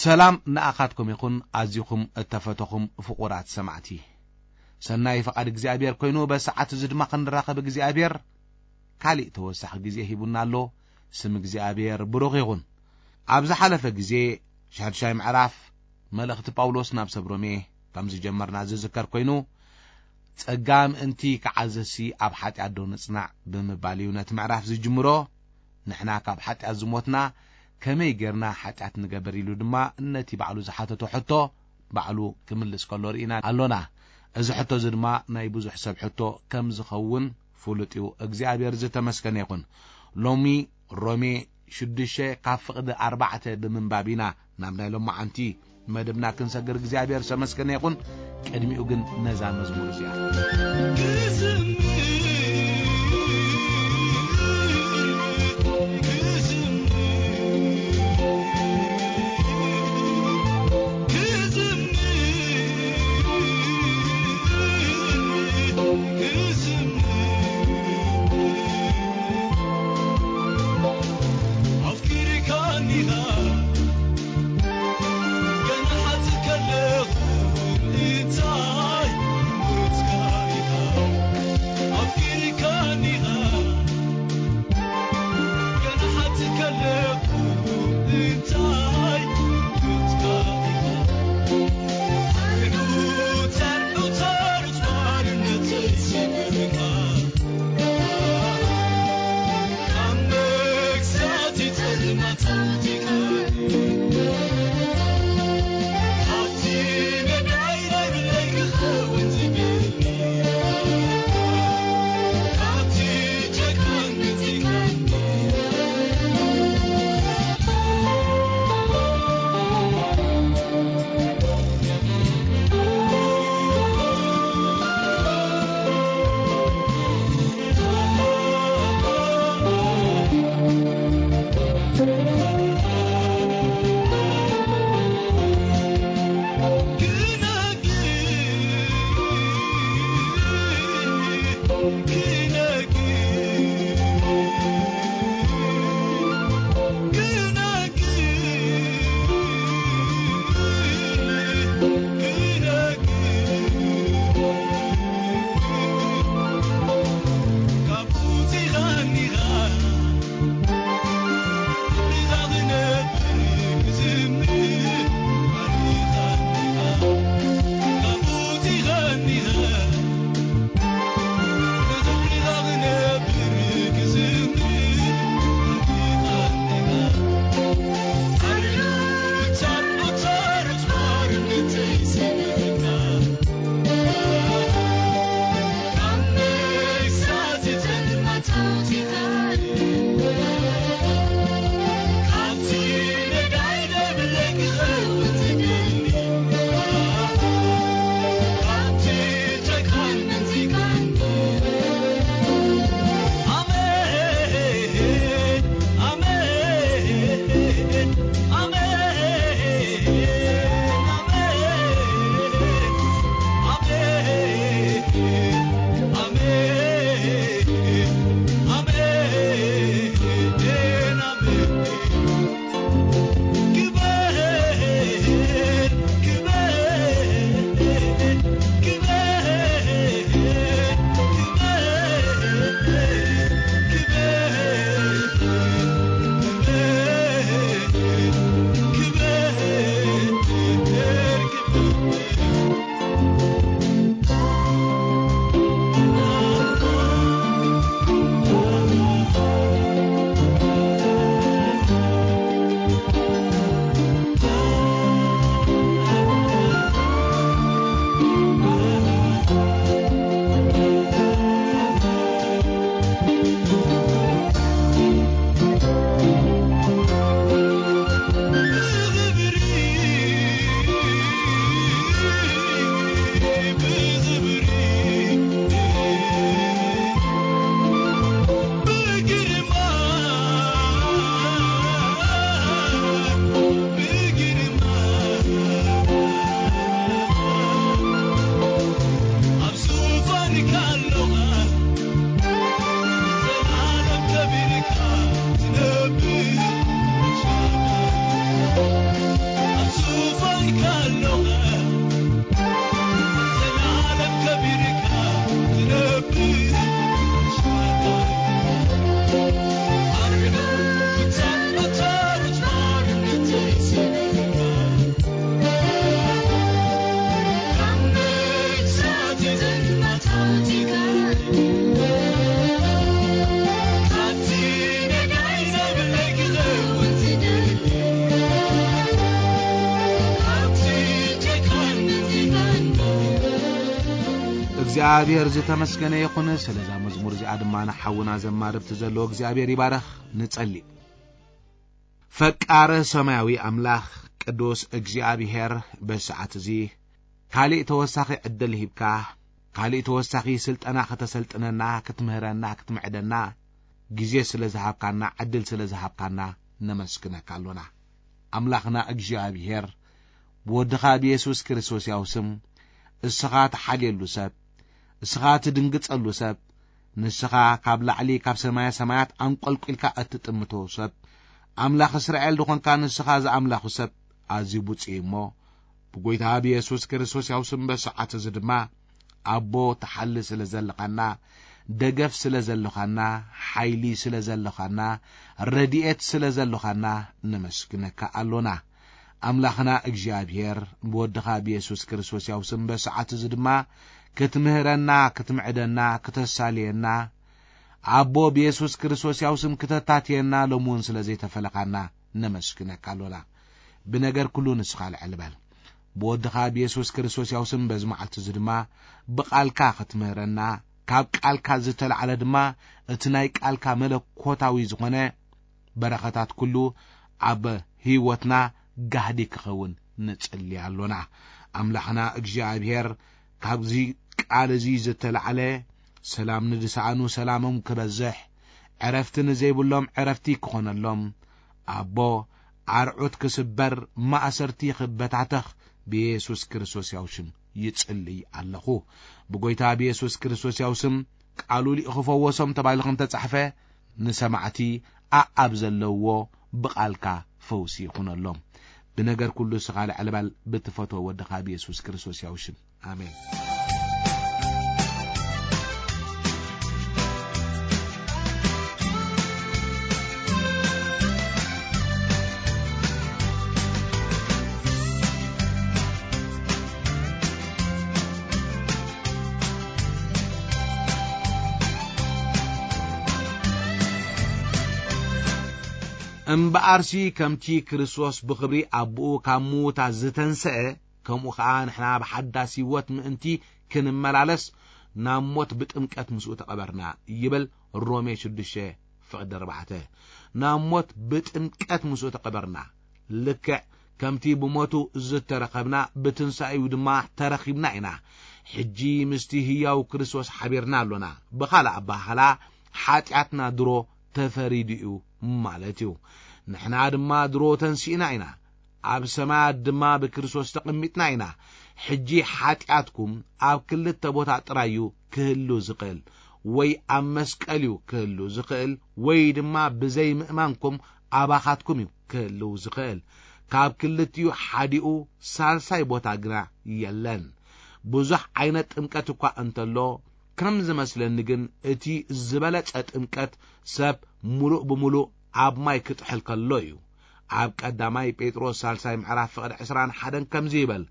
ሰላም ንኣኻትኩም ይኹን፣ ኣዚኹም እተፈተኹም ፍቑራት ሰማዕቲ። ሰናይ ፍቓድ እግዚኣብሔር ኮይኑ፣ በሰዓት እዚ ድማ ክንራኸብ እግዚኣብሔር ካሊእ ተወሳኺ ግዜ ሂቡና ኣሎ። ስም እግዚኣብሔር ብሩኽ ይኹን። ኣብ ዝሓለፈ ግዜ፣ ሻድሻይ ምዕራፍ መልእኽቲ ጳውሎስ ናብ ሰብ ሮሜ ከም ዝጀመርና ዝዝከር ኮይኑ፣ ጸጋ ምእንቲ ክዓዘሲ ኣብ ሓጢኣት ዶ ንጽናዕ ብምባል እዩ ነቲ ምዕራፍ ዝጅምሮ። ንሕና ካብ ሓጢኣት ዝሞትና ከመይ ጌርና ሓጢኣት ንገብር ኢሉ ድማ ነቲ ባዕሉ ዝሓተቶ ሕቶ ባዕሉ ክምልስ ከሎ ርኢና ኣሎና። እዚ ሕቶ እዚ ድማ ናይ ብዙሕ ሰብ ሕቶ ከም ዝኸውን ፍሉጥ እዩ። እግዚኣብሔር ዝተመስገነ ይኹን። ሎሚ ሮሜ ሽዱሽተ ካብ ፍቕዲ ኣርባዕተ ብምንባብ ኢና ናብ ናይ ሎማዓንቲ መደብና ክንሰግር እግዚኣብሔር ዝተመስገነ ይኹን። ቅድሚኡ ግን ነዛ መዝሙር እዚኣ እግዚኣብሔር ዝተመስገነ ይኹን። ስለዛ መዝሙር እዚኣ ድማ ንሓውና ዘማርብቲ ዘለዎ እግዚኣብሔር ይባረኽ። ንጸሊ። ፈቃረ ሰማያዊ ኣምላኽ፣ ቅዱስ እግዚኣብሔር፣ በሰዓት እዚ ካሊእ ተወሳኺ ዕድል ሂብካ፣ ካሊእ ተወሳኺ ስልጠና ከተሰልጥነና፣ ክትምህረና፣ ክትምዕደና ግዜ ስለ ዝሃብካና፣ ዕድል ስለ ዝሃብካና ነመስግነካ ኣሎና። ኣምላኽና እግዚኣብሔር፣ ብወድኻ ብየሱስ ክርስቶስ ያው ስም፣ እስኻ ትሓልየሉ ሰብ፣ እስኻ ትድንግጸሉ ሰብ፣ ንስኻ ካብ ላዕሊ ካብ ሰማያ ሰማያት ኣንቆልቂልካ እትጥምቶ ሰብ፣ ኣምላኽ እስራኤል ዝኾንካ ንስኻ ዝኣምላኹ ሰብ፣ ኣዝዩ ብፁዕ እዩ እሞ፣ ብጎይታ ብየሱስ ክርስቶስ ያው ስም በሰዓት እዚ ድማ፣ ኣቦ ትሓሊ ስለ ዘለኻና፣ ደገፍ ስለ ዘለኻና፣ ሓይሊ ስለ ዘለኻና፣ ረድኤት ስለ ዘለኻና ነመስግነካ ኣሎና። ኣምላኽና እግዚኣብሔር፣ ብወድኻ ብየሱስ ክርስቶስ ያው ስም በሰዓት እዚ ድማ ክትምህረና፣ ክትምዕደና፣ ክተሳልየና፣ ኣቦ ብየሱስ ክርስቶስ ያው ስም ክተታትየና ሎሚ እውን ስለ ዘይተፈለኻና ነመስግነካ ኣሎና። ብነገር ኩሉ ንስኻ ልዕል በል። ብወድኻ ብየሱስ ክርስቶስ ያው ስም በዚ መዓልቲ እዚ ድማ ብቓልካ ክትምህረና፣ ካብ ቃልካ ዝተላዕለ ድማ እቲ ናይ ቃልካ መለኮታዊ ዝኾነ በረኸታት ኩሉ ኣብ ህይወትና ጋህዲ ክኸውን ንጽሊ ኣሎና። ኣምላኽና እግዚኣብሔር፣ ካብዚ ቃል እዚ ዝተላዕለ ሰላም ንዝሰኣኑ ሰላሞም ክበዝሕ፣ ዕረፍቲ ንዘይብሎም ዕረፍቲ ክኾነሎም፣ ኣቦ ኣርዑት ክስበር፣ ማእሰርቲ ክበታተኽ ብየሱስ ክርስቶስ ያው ሽም ይጽልይ ኣለኹ። ብጎይታ ብየሱስ ክርስቶስ ያው ስም ቃሉ ሊኡ ክፈወሶም ተባሂሉ ከም ተጻሕፈ፣ ንሰማዕቲ ኣኣብ ዘለውዎ ብቓልካ ፈውሲ ይኹነሎም። ብነገር ኩሉ እስኻ ልዕል በል፣ ብትፈትዎ ወድኻ ብየሱስ ክርስቶስ ያው ሽም። ኣሜን። እምበኣርሲ ከምቲ ክርስቶስ ብኽብሪ ኣቦኡ ካብ ምዉታት ዝተንስአ፣ ከምኡ ኸኣ ንሕና ብሓዳስ ህይወት ምእንቲ ክንመላለስ፣ ናብ ሞት ብጥምቀት ምስኡ ተቐበርና ይብል ሮሜ ሽዱሽተ ፍቕዲ ኣርባዕተ። ናብ ሞት ብጥምቀት ምስኡ ተቐበርና። ልክዕ ከምቲ ብሞቱ ዝተረኸብና፣ ብትንሳኤኡ ድማ ተረኺብና ኢና። ሕጂ ምስቲ ህያው ክርስቶስ ሓቢርና ኣሎና። ብኻልእ ኣበሃህላ፣ ሓጢኣትና ድሮ ተፈሪዱ እዩ ማለት እዩ። ንሕና ድማ ድሮ ተንሲእና ኢና፣ ኣብ ሰማያት ድማ ብክርስቶስ ተቐሚጥና ኢና። ሕጂ ሓጢኣትኩም ኣብ ክልተ ቦታ ጥራይ እዩ ክህሉ ዝኽእል፣ ወይ ኣብ መስቀል እዩ ክህሉ ዝኽእል፣ ወይ ድማ ብዘይ ምእማንኩም ኣባኻትኩም እዩ ክህልው ዝኽእል። ካብ ክልቲኡ ሓዲኡ ሳልሳይ ቦታ ግና የለን። ብዙሕ ዓይነት ጥምቀት እኳ እንተሎ፣ ከም ዝመስለኒ ግን እቲ ዝበለጸ ጥምቀት ሰብ ምሉእ ብምሉእ ኣብ ማይ ክጥሕል ከሎ እዩ። ኣብ ቀዳማይ ጴጥሮስ ሳልሳይ ምዕራፍ ፍቕዲ ዕስራን ሓደን ከምዚ ይበል፣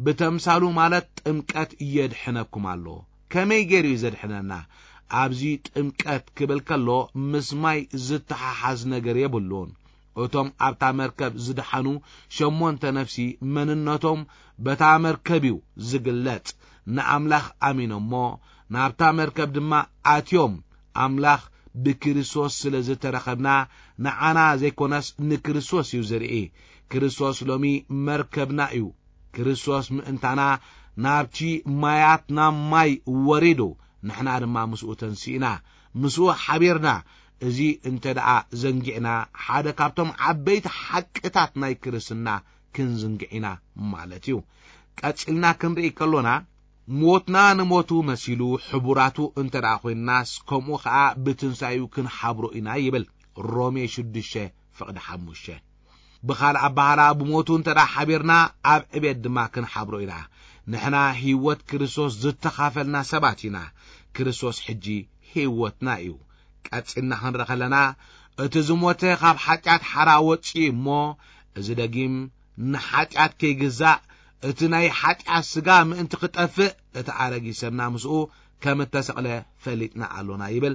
"ብተምሳሉ ማለት ጥምቀት የድሕነኩም ኣሎ። ከመይ ገይሩ እዩ ዘድሕነና?" ኣብዚ ጥምቀት ክብል ከሎ ምስ ማይ ዝተሓሓዝ ነገር የብሉን። እቶም ኣብታ መርከብ ዝደሓኑ ሸሞንተ ነፍሲ መንነቶም በታ መርከብ እዩ ዝግለጽ። ንኣምላኽ ኣሚኖሞ ናብታ መርከብ ድማ ኣትዮም፣ ኣምላኽ ብክርስቶስ ስለ ዝተረኸብና ንዓና ዘይኮነስ ንክርስቶስ እዩ ዝርኢ። ክርስቶስ ሎሚ መርከብና እዩ። ክርስቶስ ምእንታና ናብቲ ማያት ናብ ማይ ወሪዱ፣ ንሕና ድማ ምስኡ ተንሲእና፣ ምስኡ ሓቢርና። እዚ እንተ ደኣ ዘንጊዕና፣ ሓደ ካብቶም ዓበይቲ ሓቅታት ናይ ክርስትና ክንዝንግዕ ኢና ማለት እዩ። ቀጺልና ክንርኢ ከሎና፣ ሞትና ንሞቱ መሲሉ ሕቡራቱ እንተ ደኣ ኮይንናስ፣ ከምኡ ኸኣ ብትንሳኤኡ ክንሓብሮ ኢና ይብል ሮሜ ሽዱሽተ ፍቕዲ ሓሙሽተ። ብኻልእ ኣበሃህላ፣ ብሞቱ እንተ ደኣ ሓቢርና፣ ኣብ ዕቤት ድማ ክንሓብሮ ኢና። ንሕና ህይወት ክርስቶስ ዝተኻፈልና ሰባት ኢና። ክርስቶስ ሕጂ ህይወትና እዩ። ቀጺልና ክንርኢ ከለና፣ እቲ ዝሞተ ካብ ሓጢኣት ሓራ ወጺኡ እሞ፣ እዚ ደጊም ንሓጢኣት ከይግዛእ፣ እቲ ናይ ሓጢኣት ስጋ ምእንቲ ክጠፍእ፣ እቲ ኣረጊት ሰብና ምስኡ ከም እተሰቕለ ፈሊጥና ኣሎና ይብል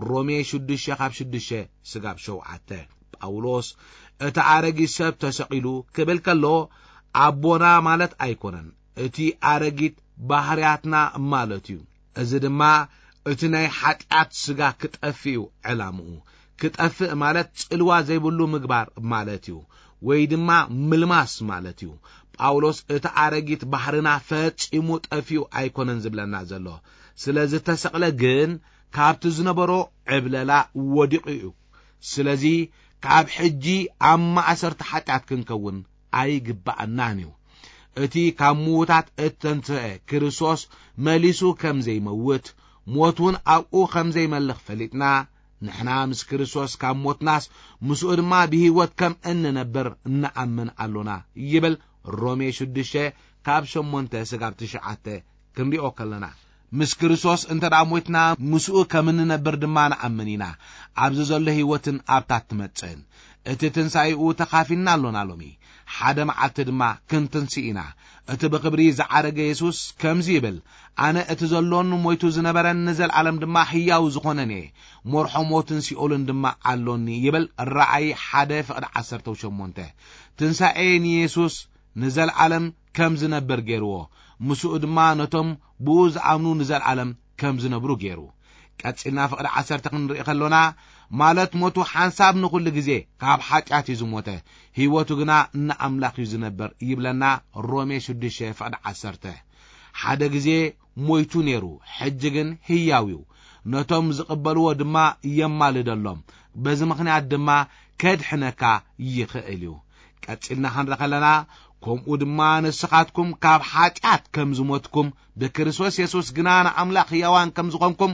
ሮሜ ሽዱሽተ ካብ ሽዱሽተ ስጋብ ሸውዓተ። ጳውሎስ እቲ ኣረጊት ሰብ ተሰቒሉ ክብል ከሎ፣ ኣቦና ማለት ኣይኮነን፣ እቲ ኣረጊት ባህርያትና ማለት እዩ። እዚ ድማ እቲ ናይ ሓጢኣት ስጋ ክጠፍእ እዩ ዕላምኡ። ክጠፍእ ማለት ጽልዋ ዘይብሉ ምግባር ማለት እዩ፣ ወይ ድማ ምልማስ ማለት እዩ። ጳውሎስ እቲ ኣረጊት ባህርና ፈጺሙ ጠፊኡ ኣይኮነን ዝብለና ዘሎ። ስለ ዝተሰቕለ ግን ካብቲ ዝነበሮ ዕብለላ ወዲቑ እዩ። ስለዚ ካብ ሕጂ ኣብ ማእሰርቲ ሓጢኣት ክንከውን ኣይግባኣናን እዩ። እቲ ካብ ምዉታት እተንስአ ክርስቶስ መሊሱ ከም ዘይመውት፣ ሞት እውን ኣብኡ ከም ዘይመልኽ ፈሊጥና፣ ንሕና ምስ ክርስቶስ ካብ ሞትናስ ምስኡ ድማ ብህይወት ከም እንነብር እንኣምን ኣሎና ይብል። ሮሜ ሽዱሽተ ካብ ሸሞንተ ስጋብ ትሽዓተ ክንሪኦ ከለና፣ ምስ ክርስቶስ እንተ ደኣ ሞትና ምስኡ ከም እንነብር ድማ ንኣምን ኢና። ኣብዚ ዘሎ ህይወትን ኣብታ ትመጽእን እቲ ትንሳኤኡ ተኻፊልና ኣሎና። ሎሚ ሓደ መዓልቲ ድማ ክንትንስእ ኢና። እቲ ብኽብሪ ዝዓረገ የሱስ ከምዚ ይብል፣ ኣነ እቲ ዘሎን ሞይቱ ዝነበረን ንዘለኣለም ድማ ህያው ዝኾነን እየ። መርሖ ሞትን ሲኦልን ድማ ኣሎኒ ይብል። ራእይ ሓደ ፍቕዲ ዓሰርተ ሸሞንተ። ትንሳኤ ንየሱስ ንዘለኣለም ከም ዝነብር ገይርዎ፣ ምስኡ ድማ ነቶም ብኡ ዝኣምኑ ንዘለኣለም ከም ዝነብሩ ገይሩ። ቀጺልና ፍቕዲ ዓሰርተ ክንርኢ ከሎና፣ ማለት ሞቱ ሓንሳብ ንኹሉ ግዜ ካብ ሓጢኣት እዩ ዝሞተ፣ ህይወቱ ግና ንኣምላኽ እዩ ዝነብር ይብለና። ሮሜ ሽዱሽተ ፍቕዲ ዓሰርተ። ሓደ ግዜ ሞይቱ ነይሩ፣ ሕጂ ግን ህያው እዩ። ነቶም ዝቕበልዎ ድማ የማልደሎም፣ በዚ ምኽንያት ድማ ከድሕነካ ይኽእል እዩ። ቀጺልና ክንርኢ ከለና፣ ከምኡ ድማ ንስኻትኩም ካብ ሓጢኣት ከም ዝሞትኩም፣ ብክርስቶስ የሱስ ግና ንኣምላኽ ህያዋን ከም ዝኾንኩም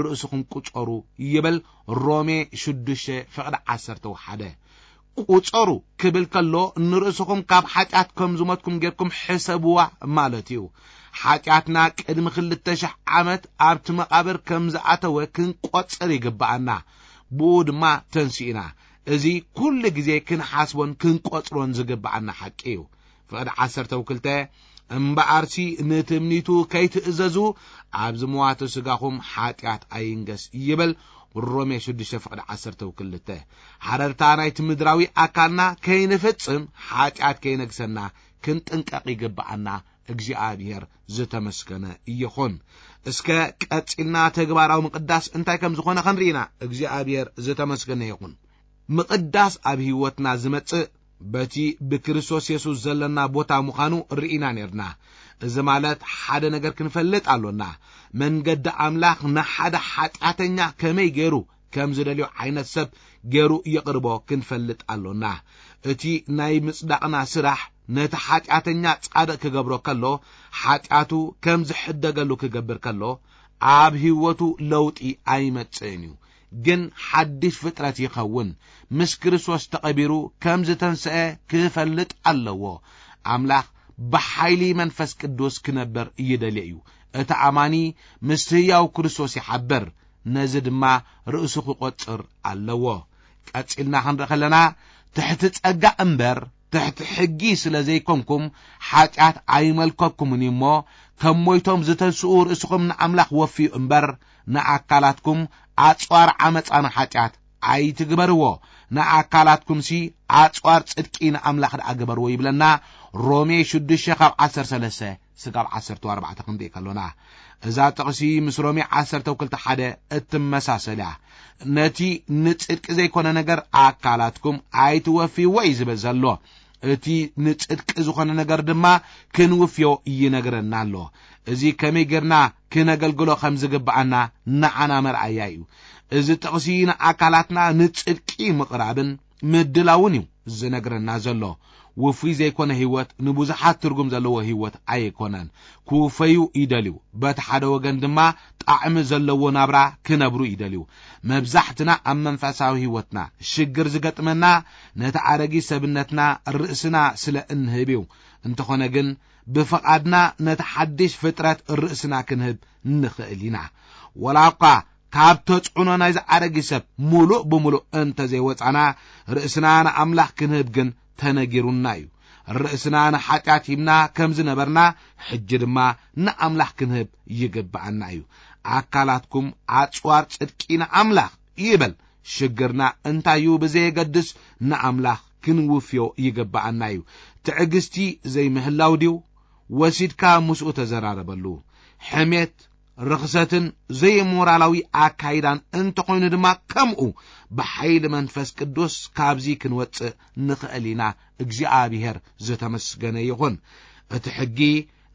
ርእስኹም ቁጸሩ ይብል። ሮሜ ሽዱሽተ ፍቕዲ ዓሰርተ ሓደ። ቁጸሩ ክብል ከሎ፣ ንርእስኹም ካብ ሓጢኣት ከም ዝሞትኩም ጌርኩም ሕሰብዋ ማለት እዩ። ሓጢኣትና ቅድሚ ክልተ ሽሕ ዓመት ኣብቲ መቓብር ከም ዝኣተወ ክንቆጽር ይግብኣና። ብኡ ድማ ተንሲእና። እዚ ኩሉ ግዜ ክንሓስቦን ክንቆጽሮን ዝግብኣና ሓቂ እዩ። ፍቕዲ ዓሰርተ ክልተ፣ እምበኣርሲ ንትምኒቱ ከይትእዘዙ ኣብዚ መዋቲ ስጋኹም ሓጢኣት ኣይንገስ ይብል። ሮሜ ሽዱሽተ ፍቕዲ ዓሰርተ ክልተ። ሓረርታ ናይቲ ምድራዊ ኣካልና ከይንፍጽም፣ ሓጢኣት ከይነግሰና ክንጥንቀቕ ይግብኣና። እግዚኣብሔር ዝተመስገነ ይኹን። እስከ ቀጺልና ተግባራዊ ምቕዳስ እንታይ ከም ዝኾነ ክንርኢና። እግዚኣብሔር ዝተመስገነ ይኹን። ምቕዳስ ኣብ ህይወትና ዝመጽእ በቲ ብክርስቶስ የሱስ ዘለና ቦታ ምዃኑ ርኢና ኔርና። እዚ ማለት ሓደ ነገር ክንፈልጥ ኣሎና። መንገዲ ኣምላኽ ንሓደ ሓጢኣተኛ ከመይ ገይሩ ከም ዝደልዮ ዓይነት ሰብ ገይሩ የቕርቦ ክንፈልጥ ኣሎና። እቲ ናይ ምጽዳቕና ስራሕ ነቲ ሓጢኣተኛ ጻድቕ ክገብሮ ከሎ፣ ሓጢኣቱ ከም ዝሕደገሉ ክገብር ከሎ፣ ኣብ ህይወቱ ለውጢ ኣይመጽእን እዩ። ግን ሓድሽ ፍጥረት ይኸውን። ምስ ክርስቶስ ተቐቢሩ ከም ዝተንስአ ክፈልጥ ኣለዎ። ኣምላኽ ብሓይሊ መንፈስ ቅዱስ ክነብር ይደሊ እዩ። እቲ ኣማኒ ምስ ህያው ክርስቶስ ይሓብር፣ ነዚ ድማ ርእሱ ክቖጽር ኣለዎ። ቀጺልና ክንርኢ ከለና፣ ትሕቲ ጸጋ እምበር ትሕቲ ሕጊ ስለ ዘይኮንኩም፣ ሓጢኣት ኣይመልከኩምን እዩ እሞ፣ ከም ሞይቶም ዝተንስኡ ርእስኹም ንኣምላኽ ወፍዩ እምበር፣ ንኣካላትኩም ኣጽዋር ዓመጻ ንሓጢኣት ኣይትግበርዎ፣ ንኣካላትኩምሲ ኣጽዋር ጽድቂ ንኣምላኽ ደኣ ግበርዎ ይብለና። ሮሜ ሽዱሽተ ካብ ዓሰርተ ሰለስተ ስጋብ ዓሰርተ ኣርባዕተ ክንርኢ ከሎና፣ እዛ ጥቕሲ ምስ ሮሜ ዓሰርተ ክልተ ሓደ እትመሳሰል እያ። ነቲ ንጽድቂ ዘይኮነ ነገር ኣካላትኩም ኣይትወፍይዎ እዩ ዝብል ዘሎ። እቲ ንጽድቂ ዝኾነ ነገር ድማ ክንውፍዮ ይነግረና ኣሎ። እዚ ከመይ ጌርና ክነገልግሎ ከም ዝግብኣና ንዓና መርኣያ እዩ። እዚ ጥቕሲ ንኣካላትና ንጽድቂ ምቕራብን ምድላውን እዩ ዝነግረና ዘሎ። ውፉይ ዘይኮነ ህይወት ንብዙሓት ትርጉም ዘለዎ ህይወት ኣይኮነን። ክውፈዩ ይደልዩ፣ በቲ ሓደ ወገን ድማ ጣዕሚ ዘለዎ ናብራ ክነብሩ ይደልዩ። መብዛሕትና ኣብ መንፈሳዊ ህይወትና ሽግር ዝገጥመና ነቲ ኣረጊት ሰብነትና ርእስና ስለ እንህብ እዩ። እንተኾነ ግን ብፍቓድና ነቲ ሓድሽ ፍጥረት ርእስና ክንህብ ንኽእል ኢና። ወላ እኳ ካብ ተጽዕኖ ናይዚ ኣረጊት ሰብ ምሉእ ብምሉእ እንተ ዘይወጻና፣ ርእስና ንኣምላኽ ክንህብ ግን ተነጊሩና እዩ። ርእስና ንሓጢኣት ሂብና ከም ዝነበርና፣ ሕጂ ድማ ንኣምላኽ ክንህብ ይግብኣና እዩ። ኣካላትኩም ኣጽዋር ጽድቂ ንኣምላኽ ይበል። ሽግርና እንታይ እዩ ብዘየገድስ ንኣምላኽ ክንውፍዮ ይግብኣና እዩ። ትዕግስቲ ዘይምህላው ድዩ? ወሲድካ ምስኡ ተዘራረበሉ። ሕሜት፣ ርኽሰትን ዘይሞራላዊ ኣካይዳን እንተኾይኑ ድማ ከምኡ ብሓይሊ መንፈስ ቅዱስ ካብዚ ክንወጽእ ንኽእል ኢና። እግዚኣብሔር ዝተመስገነ ይኹን። እቲ ሕጊ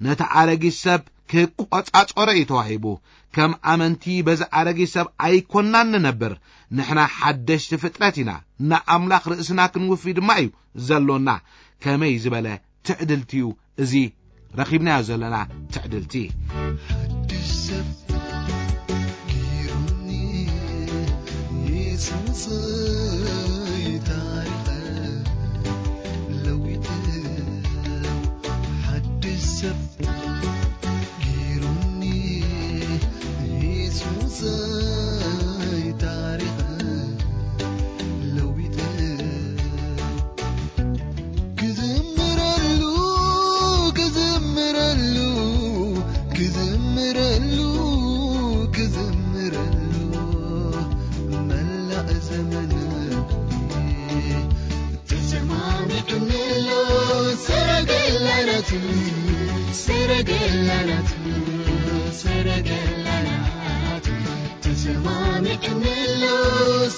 ነቲ ኣረጊት ሰብ ክቆጻጸሮ እዩ ተዋሂቡ። ከም ኣመንቲ በዚ ኣረጊት ሰብ ኣይኮናን ንነብር። ንሕና ሓደሽቲ ፍጥረት ኢና። ንኣምላኽ ርእስና ክንውፊ ድማ እዩ ዘሎና። ከመይ ዝበለ ትዕድልቲ እዩ እዚ ረኺብናዮ ዘለና ትዕድልቲ። ሓድሽ ሰብ ገይሩኒ የሱሰይ፣ ታሪኸ ለዊጠ፣ ሓድሽ ሰብ ገይሩኒ የሱሰይ፣ ታሪኸ ለዊጠ። ክዝምረሉ፣ ክዝምረሉ፣ ክዝምረሉ፣ ክዝምረሉ፣ መላእ ዘመን ተሰማሚዕንሎ። ሰረገላናቱ፣ ሰረገላናቱ፣ ሰረገላናቱ፣ ተሰማሚዕንሎ።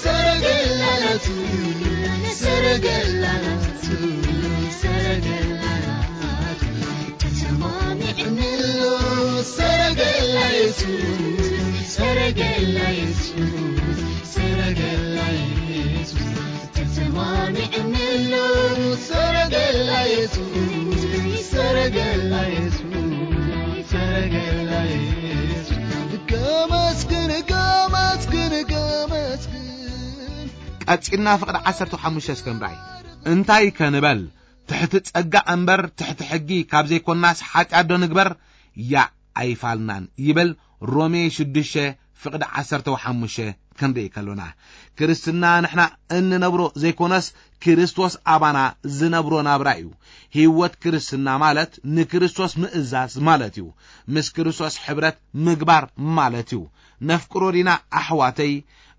ሰረገላናቱ፣ ሰረገላናቱ፣ ሰረገላናቱ፣ ተሰማሚዕንሎ። ሰረገላ የሱስ፣ ሰረገላ የሱስ፣ ሰረገላ የሱስ፣ ተሰማሚዕንሎ። ሰረገላ የሱስ፣ ሰረገላ የሱስ፣ ሰረገላ የሱስ፣ ከመስግን፣ ከመስግን፣ ከመስግን። ቀጺልና ፍቕዲ ዓሰርተ ሓሙሽተ እስከ ንርኣይ። እንታይ ከንበል? ትሕቲ ጸጋ እምበር ትሕቲ ሕጊ ካብ ዘይኮናስ ሓጢኣት ዶ ንግበር? ያእ ኣይፋልናን ይብል ሮሜ ሽዱሽተ ፍቕዲ ዓሰርተ ሓሙሽተ ክንርኢ ከሎና። ክርስትና ንሕና እንነብሮ ዘይኮነስ ክርስቶስ ኣባና ዝነብሮ ናብራ እዩ። ህይወት ክርስትና ማለት ንክርስቶስ ምእዛዝ ማለት እዩ። ምስ ክርስቶስ ሕብረት ምግባር ማለት እዩ። ነፍቅሮ ዲና ኣሕዋተይ?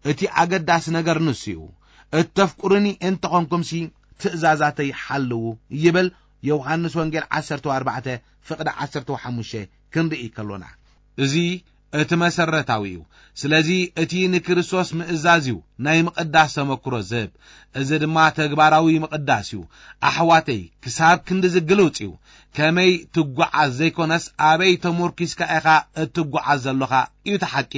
እቲ ኣገዳሲ ነገር ንሱ እዩ። እተፍቅሩኒ እንተኾንኩምሲ ትእዛዛተይ ሓልዉ ይብል ዮሃንስ ወንጌል ዓሰርተ ኣርባዕተ ፍቕዲ ዓሰርተ ሓሙሽተ ክንርኢ ከሎና። እዚ እቲ መሰረታዊ እዩ። ስለዚ እቲ ንክርስቶስ ምእዛዝ እዩ ናይ ምቕዳስ ተመክሮ ዝህብ። እዚ ድማ ተግባራዊ ምቕዳስ እዩ። ኣሕዋተይ፣ ክሳብ ክንድዚ ግልውጽ እዩ። ከመይ ትጓዓዝ ዘይኮነስ ኣበይ ተሞርኪስካ ኢኻ እትጓዓዝ ዘሎኻ እዩ እቲ ሓቂ።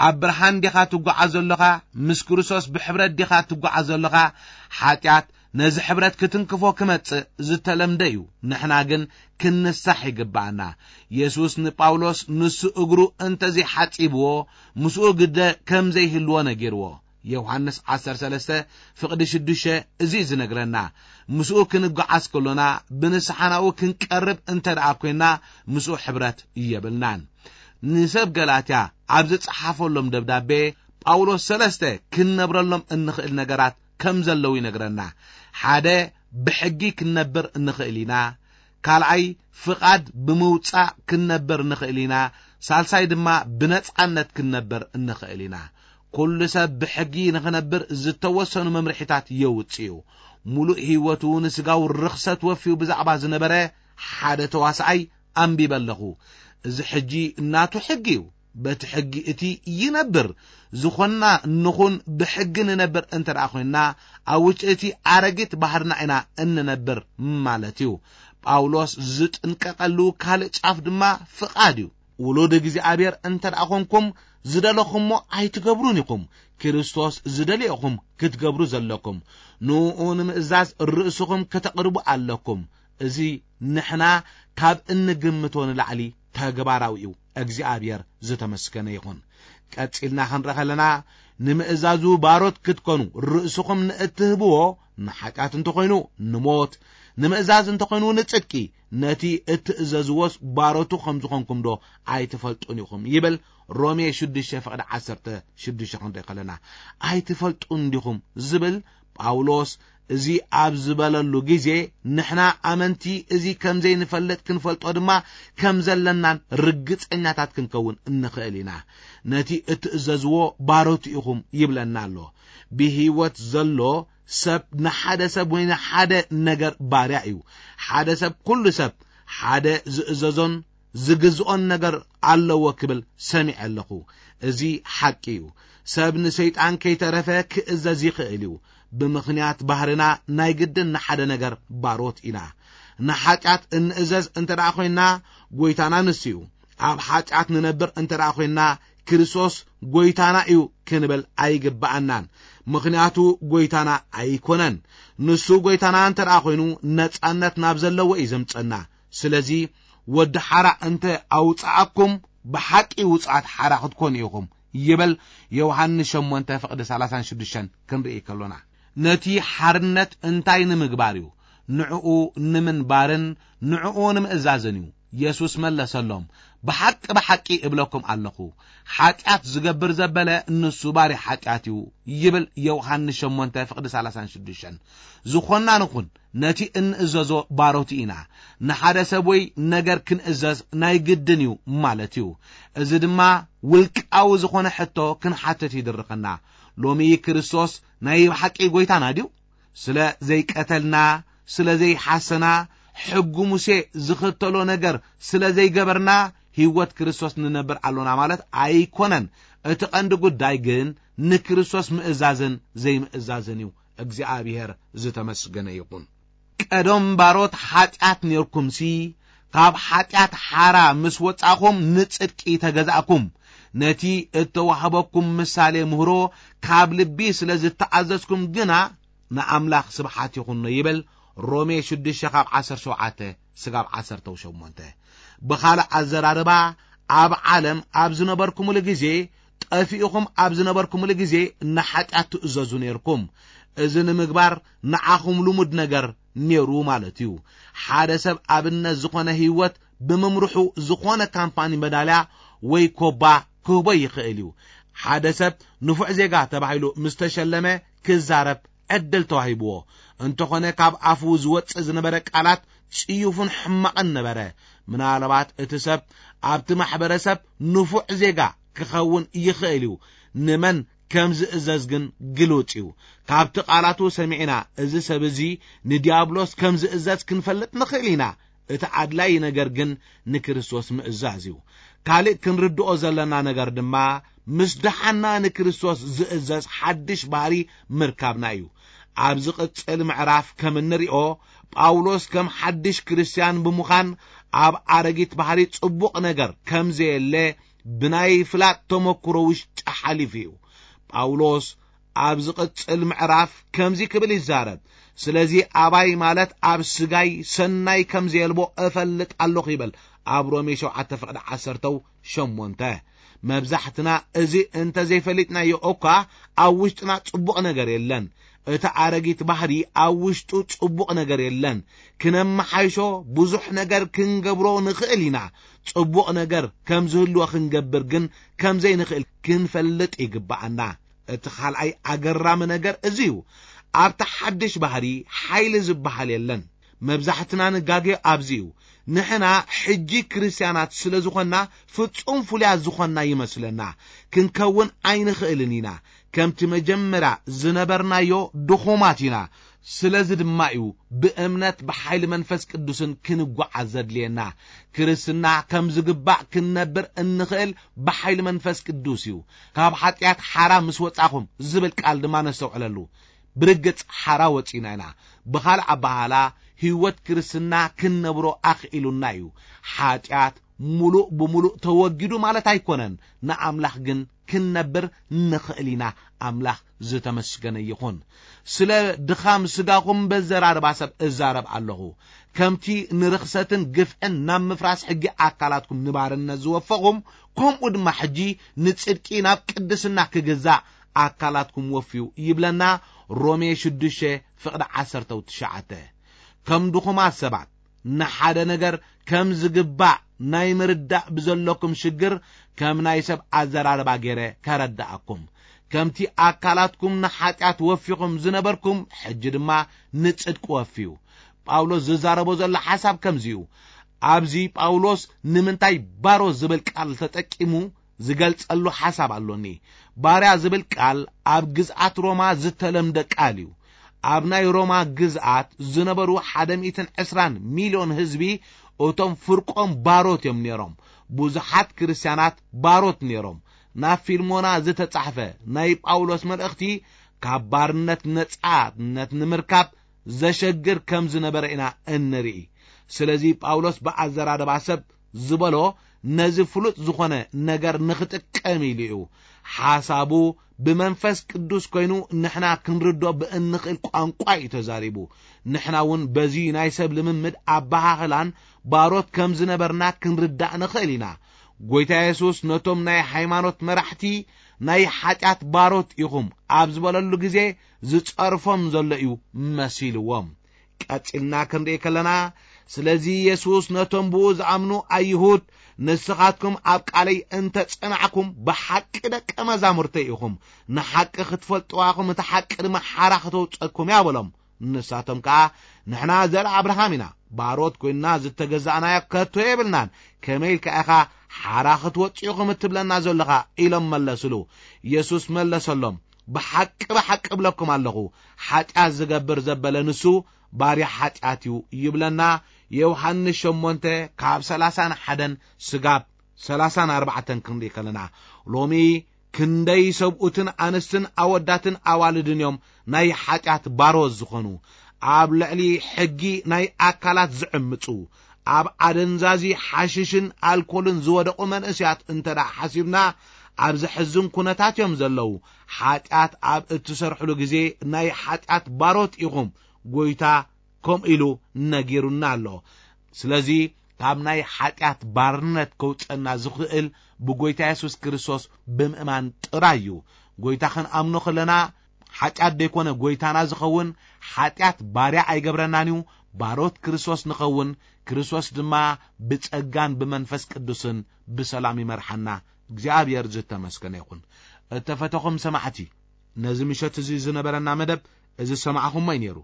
ኣብ ብርሃን ዲኻ ትጓዓዝ ዘሎኻ? ምስ ክርስቶስ ብሕብረት ዲኻ ትጓዓዝ ዘሎኻ? ሓጢኣት ነዚ ሕብረት ክትንክፎ ክመጽእ ዝተለምደ እዩ። ንሕና ግን ክንንሳሕ ይግብኣና። የሱስ ንጳውሎስ ንሱ እግሩ እንተዘይሓጺብዎ ምስኡ ግደ ከም ዘይህልዎ ነጊርዎ። ዮሃንስ ዓሰርተ ሰለስተ ፍቕዲ ሽዱሽተ እዚ እዩ ዝነግረና። ምስኡ ክንጓዓዝ ከሎና ብንስሓ ናብኡ ክንቀርብ እንተ ደኣ ኮይንና ምስኡ ሕብረት የብልናን። ንሰብ ገላትያ ኣብ ዝጸሓፈሎም ደብዳቤ ጳውሎስ ሰለስተ ክንነብረሎም እንኽእል ነገራት ከም ዘለዉ ይነግረና። ሓደ፣ ብሕጊ ክንነብር እንኽእል ኢና። ካልኣይ፣ ፍቓድ ብምውጻእ ክንነብር ንኽእል ኢና። ሳልሳይ ድማ ብነጻነት ክንነብር እንኽእል ኢና። ኩሉ ሰብ ብሕጊ ንኽነብር ዝተወሰኑ መምርሒታት የውጽእ እዩ። ሙሉእ ህይወቱ ንስጋዊ ርኽሰት ወፊዩ ብዛዕባ ዝነበረ ሓደ ተዋስኣይ ኣንቢበ ኣለኹ። እዚ ሕጂ ናቱ ሕጊ እዩ። በቲ ሕጊ እቲ ይነብር። ዝኾንና ንኹን ብሕጊ ንነብር እንተ ደኣ ኮይንና፣ ኣብ ውሽጢ እቲ ኣረጊት ባህርና ኢና እንነብር ማለት እዩ። ጳውሎስ ዝጥንቀቐሉ ካልእ ጫፍ ድማ ፍቓድ እዩ። ውሉድ እግዚኣብሔር እንተ ደኣ ኾንኩም፣ ዝደለኹሞ ኣይትገብሩን ኢኹም። ክርስቶስ ዝደልየኹም ክትገብሩ ዘለኩም። ንኡ ንምእዛዝ ርእስኹም ከተቕርቡ ኣለኩም። እዚ ንሕና ካብ እንግምቶ ንላዕሊ ተግባራዊ እዩ። እግዚኣብሔር ዝተመስገነ ይኹን። ቀጺልና ክንርኢ ከለና፣ ንምእዛዙ ባሮት ክትኮኑ ርእስኹም ንእትህብዎ፣ ንሓጢኣት እንተኾይኑ ንሞት፣ ንምእዛዝ እንተኾይኑ ንጽድቂ፣ ነቲ እትእዘዝዎስ ባሮቱ ከም ዝኾንኩም ዶ ኣይትፈልጡን ኢኹም? ይብል ሮሜ ሽዱሽተ ፍቕዲ ዓሰርተ ሽዱሽተ ክንርኢ ከለና። ኣይትፈልጡን ዲኹም ዝብል ጳውሎስ እዚ ኣብ ዝበለሉ ግዜ፣ ንሕና ኣመንቲ እዚ ከም ዘይንፈልጥ ክንፈልጦ ድማ ከም ዘለናን ርግጸኛታት ክንከውን እንኽእል ኢና። ነቲ እትእዘዝዎ ባሮት ኢኹም ይብለና ኣሎ። ብህይወት ዘሎ ሰብ ንሓደ ሰብ ወይ ንሓደ ነገር ባርያ እዩ። ሓደ ሰብ፣ ኩሉ ሰብ ሓደ ዝእዘዞን ዝግዝኦን ነገር ኣለዎ ክብል ሰሚዐ ኣለኹ። እዚ ሓቂ እዩ። ሰብ ንሰይጣን ከይተረፈ ክእዘዝ ይኽእል እዩ። ብምኽንያት ባህርና ናይ ግድን ንሓደ ነገር ባሮት ኢና። ንሓጢኣት እንእዘዝ እንተ ደኣ ኾይንና፣ ጐይታና ንሱ እዩ። ኣብ ሓጢኣት ንነብር እንተ ደኣ ኾይንና፣ ክርስቶስ ጐይታና እዩ ክንብል ኣይግብኣናን። ምኽንያቱ ጐይታና ኣይኮነን። ንሱ ጐይታና እንተ ደኣ ኾይኑ፣ ነጻነት ናብ ዘለዎ እዩ ዘምጸና። ስለዚ፣ ወዲ ሓራ እንተ ኣውጽኣኩም፣ ብሓቂ ውጹኣት ሓራ ክትኮኑ ኢኹም ይብል ዮሃንስ ሸሞንተ ፍቕዲ ሰላሳን ሽዱሽተን ክንርኢ ከሎና። ነቲ ሓርነት እንታይ ንምግባር እዩ? ንዕኡ ንምንባርን ንዕኡ ንምእዛዝን እዩ። የሱስ መለሰሎም፣ ብሓቂ ብሓቂ እብለኩም ኣለኹ፣ ሓጢኣት ዝገብር ዘበለ ንሱ ባርያ ሓጢኣት እዩ ይብል ዮሃንስ ሸሞንተ ፍቕዲ ሰላሳን ሽዱሽተን። ዝኾንና ንኹን ነቲ እንእዘዞ ባሮት ኢና። ንሓደ ሰብ ወይ ነገር ክንእዘዝ ናይ ግድን እዩ ማለት እዩ። እዚ ድማ ውልቃዊ ዝኾነ ሕቶ ክንሓትት ይድርኸና። ሎሚ ክርስቶስ ናይ ብሓቂ ጐይታና ድዩ? ስለ ዘይቀተልና፣ ስለ ዘይሓሰና፣ ሕጊ ሙሴ ዝኽተሎ ነገር ስለ ዘይገበርና ህይወት ክርስቶስ ንነብር ኣሎና ማለት ኣይኮነን። እቲ ቀንዲ ጉዳይ ግን ንክርስቶስ ምእዛዝን ዘይምእዛዝን እዩ። እግዚኣብሔር ዝተመስገነ ይኹን። ቀደም ባሮት ሓጢኣት ኔርኩምሲ፣ ካብ ሓጢኣት ሓራ ምስ ወጻእኹም ንጽድቂ ተገዛእኩም። ነቲ እተዋህበኩም ምሳሌ ምህሮ ካብ ልቢ ስለ ዝተኣዘዝኩም ግና ንኣምላኽ ስብሓት ይኹኖ ይብል። ሮሜ ሽዱሽተ ካብ ዓሰርተ ሸውዓተ ስጋብ ዓሰርተ ሸሞንተ። ብኻልእ ኣዘራርባ፣ ኣብ ዓለም ኣብ ዝነበርኩምሉ ግዜ፣ ጠፊእኹም ኣብ ዝነበርኩምሉ ግዜ ንሓጢኣት ትእዘዙ ኔርኩም። እዚ ንምግባር ንዓኹም ልሙድ ነገር ኔሩ ማለት እዩ። ሓደ ሰብ ኣብነት ዝኾነ ህይወት ብምምርሑ ዝኾነ ካምፓኒ መዳልያ ወይ ኮባ ክህቦ ይኽእል እዩ። ሓደ ሰብ ንፉዕ ዜጋ ተባሂሉ ምስ ተሸለመ ክዛረብ ዕድል ተዋሂብዎ። እንተኾነ ካብ ኣፉ ዝወጽእ ዝነበረ ቃላት ጽዩፍን ሕማቕን ነበረ። ምናልባት እቲ ሰብ ኣብቲ ማሕበረሰብ ንፉዕ ዜጋ ክኸውን ይኽእል እዩ። ንመን ከም ዝእዘዝ ግን ግሉጽ እዩ። ካብቲ ቃላቱ ሰሚዕና፣ እዚ ሰብ እዚ ንዲያብሎስ ከም ዝእዘዝ ክንፈልጥ ንኽእል ኢና። እቲ ኣድላዪ ነገር ግን ንክርስቶስ ምእዛዝ እዩ። ካልእ ክንርድኦ ዘለና ነገር ድማ፣ ምስ ደሓና ንክርስቶስ ዝእዘዝ ሓድሽ ባህሪ ምርካብና እዩ። ኣብ ዝቕጽል ምዕራፍ ከም እንሪኦ፣ ጳውሎስ ከም ሓድሽ ክርስትያን ብምዃን ኣብ ኣረጊት ባህሪ ጽቡቕ ነገር ከም ዘየለ ብናይ ፍላጥ ተመክሮ ውሽጢ ሓሊፉ እዩ። ጳውሎስ ኣብ ዝቕጽል ምዕራፍ ከምዚ ክብል ይዛረብ፣ ስለዚ ኣባይ ማለት ኣብ ስጋይ ሰናይ ከም ዘየልቦ እፈልጥ ኣለኹ ይብል። ኣብ ሮሜ ሸውዓተ ፍቕዲ ዓሰርተ ሸሞንተ። መብዛሕትና እዚ እንተ ዘይፈሊጥናዮ እኳ ኣብ ውሽጥና ጽቡቕ ነገር የለን። እቲ ኣረጊት ባህሪ ኣብ ውሽጡ ጽቡቕ ነገር የለን። ክነመሓይሾ ብዙሕ ነገር ክንገብሮ ንኽእል ኢና። ጽቡቕ ነገር ከም ዝህልዎ ክንገብር ግን ከም ዘይንኽእል ክንፈልጥ ይግብኣና። እቲ ካልኣይ ኣገራሚ ነገር እዚ እዩ። ኣብቲ ሓድሽ ባህሪ ሓይሊ ዝበሃል የለን። መብዛሕትና ንጋጌ ኣብዚ እዩ። ንሕና ሕጂ ክርስትያናት ስለ ዝኾንና ፍጹም ፍሉያት ዝኾንና ይመስለና። ክንከውን ኣይንኽእልን ኢና። ከምቲ መጀመርያ ዝነበርናዮ ድኹማት ኢና። ስለዚ ድማ እዩ ብእምነት ብሓይሊ መንፈስ ቅዱስን ክንጓዓዝ ዘድልየና። ክርስትና ከም ዝግባእ ክንነብር እንኽእል ብሓይሊ መንፈስ ቅዱስ እዩ። ካብ ሓጢኣት ሓራ ምስ ወጻኹም ዝብል ቃል ድማ ነስተውዕለሉ። ብርግጽ ሓራ ወጺና ኢና። ብኻልእ ኣበሃህላ ህይወት ክርስትና ክንነብሮ ኣኽኢሉና እዩ። ሓጢኣት ሙሉእ ብሙሉእ ተወጊዱ ማለት ኣይኮነን። ንኣምላኽ ግን ክንነብር ንኽእል ኢና። ኣምላኽ ዝተመስገነ ይኹን። ስለ ድኻም ስጋኹም በዘራርባ ሰብ እዛረብ ኣለኹ። ከምቲ ንርኽሰትን ግፍዕን ናብ ምፍራስ ሕጊ ኣካላትኩም ንባርነት ዝወፈኹም፣ ከምኡ ድማ ሕጂ ንጽድቂ ናብ ቅድስና ክግዛእ ኣካላትኩም ወፍዩ ይብለና ሮሜ ሽዱሽተ ፍቕዲ ዓሰርተ ትሽዓተ። ከም ድኹማት ሰባት ንሓደ ነገር ከም ዝግባእ ናይ ምርዳእ ብዘለኩም ሽግር ከም ናይ ሰብ ኣዘራርባ ገይረ ከረድኣኩም። ከምቲ ኣካላትኩም ንሓጢኣት ወፊኹም ዝነበርኩም፣ ሕጂ ድማ ንጽድቂ ወፍዩ። ጳውሎስ ዝዛረቦ ዘሎ ሓሳብ ከምዚ እዩ። ኣብዚ ጳውሎስ ንምንታይ ባሮ ዝብል ቃል ተጠቂሙ ዝገልጸሉ ሓሳብ ኣሎኒ። ባርያ ዝብል ቃል ኣብ ግዝኣት ሮማ ዝተለምደ ቃል እዩ። ኣብ ናይ ሮማ ግዝኣት ዝነበሩ ሓደ ሚእትን ዕስራን ሚልዮን ህዝቢ እቶም ፍርቆም ባሮት እዮም ነይሮም። ብዙሓት ክርስትያናት ባሮት ነይሮም። ናብ ፊልሞና ዝተጻሕፈ ናይ ጳውሎስ መልእኽቲ ካብ ባርነት ነጻነት ንምርካብ ዘሸግር ከም ዝነበረ ኢና እንርኢ። ስለዚ ጳውሎስ ብኣዘራርባ ሰብ ዝበሎ ነዚ ፍሉጥ ዝኾነ ነገር ንኽጥቀም ኢሉ እዩ። ሓሳቡ ብመንፈስ ቅዱስ ኮይኑ ንሕና ክንርዶ ብእንኽእል ቋንቋ እዩ ተዛሪቡ። ንሕና እውን በዚ ናይ ሰብ ልምምድ ኣበሃህላን ባሮት ከም ዝነበርና ክንርዳእ ንኽእል ኢና። ጎይታ የሱስ ነቶም ናይ ሃይማኖት መራሕቲ ናይ ሓጢኣት ባሮት ኢኹም ኣብ ዝበለሉ ግዜ ዝጸርፎም ዘሎ እዩ መሲልዎም። ቀጺልና ክንርኢ ከለና፣ ስለዚ የሱስ ነቶም ብኡ ዝኣምኑ ኣይሁድ፣ ንስኻትኩም ኣብ ቃለይ እንተ ጸናዕኩም ብሓቂ ደቀ መዛሙርተይ ኢኹም፣ ንሓቂ ክትፈልጥዋ ኢኹም፣ እቲ ሓቂ ድማ ሓራ ከተውጸኩም እያ በሎም። ንሳቶም ከኣ፣ ንሕና ዘርኢ ኣብርሃም ኢና፣ ባሮት ኮይንና ዝተገዛእናዮ ከቶ የብልናን፣ ከመይ ኢልካ ኢኻ ሓራ ክትወጽኡ ኢኹም እትብለና ዘለኻ? ኢሎም መለስሉ። የሱስ መለሰሎም፣ ብሓቂ ብሓቂ እብለኩም ኣለኹ፣ ሓጢኣት ዝገብር ዘበለ ንሱ ባርያ ሓጢኣት እዩ ይብለና። ዮሃንስ ሸሞንተ ካብ ሰላሳን ሓደን ስጋብ ሰላሳን ኣርባዕተን ክንርኢ ከለና፣ ሎሚ ክንደይ ሰብኡትን ኣንስትን ኣወዳትን ኣዋልድን እዮም ናይ ሓጢኣት ባሮት ዝኾኑ፣ ኣብ ልዕሊ ሕጊ ናይ ኣካላት ዝዕምጹ፣ ኣብ ኣደንዛዚ ሓሽሽን ኣልኮልን ዝወደቑ መንእስያት እንተ ደኣ ሓሲብና፣ ኣብ ዘሕዝን ኩነታት እዮም ዘለዉ። ሓጢኣት ኣብ እትሰርሕሉ ግዜ ናይ ሓጢኣት ባሮት ኢኹም፣ ጎይታ ከምኡ ኢሉ ነጊሩና ኣሎ። ስለዚ ካብ ናይ ሓጢኣት ባርነት ከውጸና ዝኽእል ብጎይታ የሱስ ክርስቶስ ብምእማን ጥራይ እዩ። ጎይታ ክንኣምኖ ከለና ሓጢኣት ደይኮነ ጎይታና ዝኸውን፣ ሓጢኣት ባርያ ኣይገብረናን እዩ። ባሮት ክርስቶስ ንኸውን፣ ክርስቶስ ድማ ብጸጋን ብመንፈስ ቅዱስን ብሰላም ይመርሓና። እግዚኣብሔር ዝተመስገነ ይኹን። እተፈተኹም ሰማዕቲ፣ ነዚ ምሸት እዚ ዝነበረና መደብ እዚ ዝሰማዕኹሞ እዩ ነይሩ።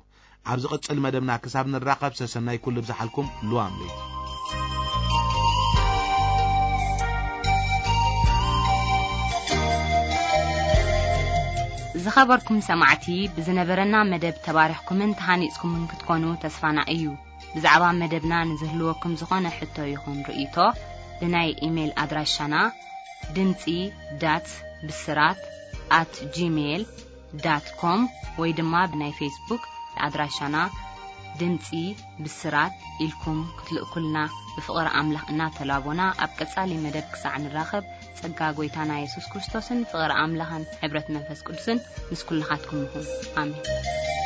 ኣብ ዝቕጽል መደብና ክሳብ ንራኸብ ሰሰናይ ኩሉ ብዝሓልኩም ልዋም ለይቲ። ዝኸበርኩም ሰማዕቲ፣ ብዝነበረና መደብ ተባሪኽኩምን ተሃኒጽኩምን ክትኮኑ ተስፋና እዩ። ብዛዕባ መደብና ንዝህልወኩም ዝኾነ ሕቶ ይኹን ርእይቶ፣ ብናይ ኢሜይል ኣድራሻና ድምጺ ዳት ብስራት ኣት ጂሜይል ዳት ኮም ወይ ድማ ብናይ ፌስቡክ ኣድራሻና ድምጺ ብስራት ኢልኩም ክትልእኩልና ብፍቕሪ ኣምላኽ እናተላቦና፣ ኣብ ቀጻሊ መደብ ክሳዕ ንራኸብ፣ ጸጋ ጎይታና የሱስ ክርስቶስን ፍቕሪ ኣምላኽን ሕብረት መንፈስ ቅዱስን ምስ ኩልኻትኩም ይኹን። ኣሜን።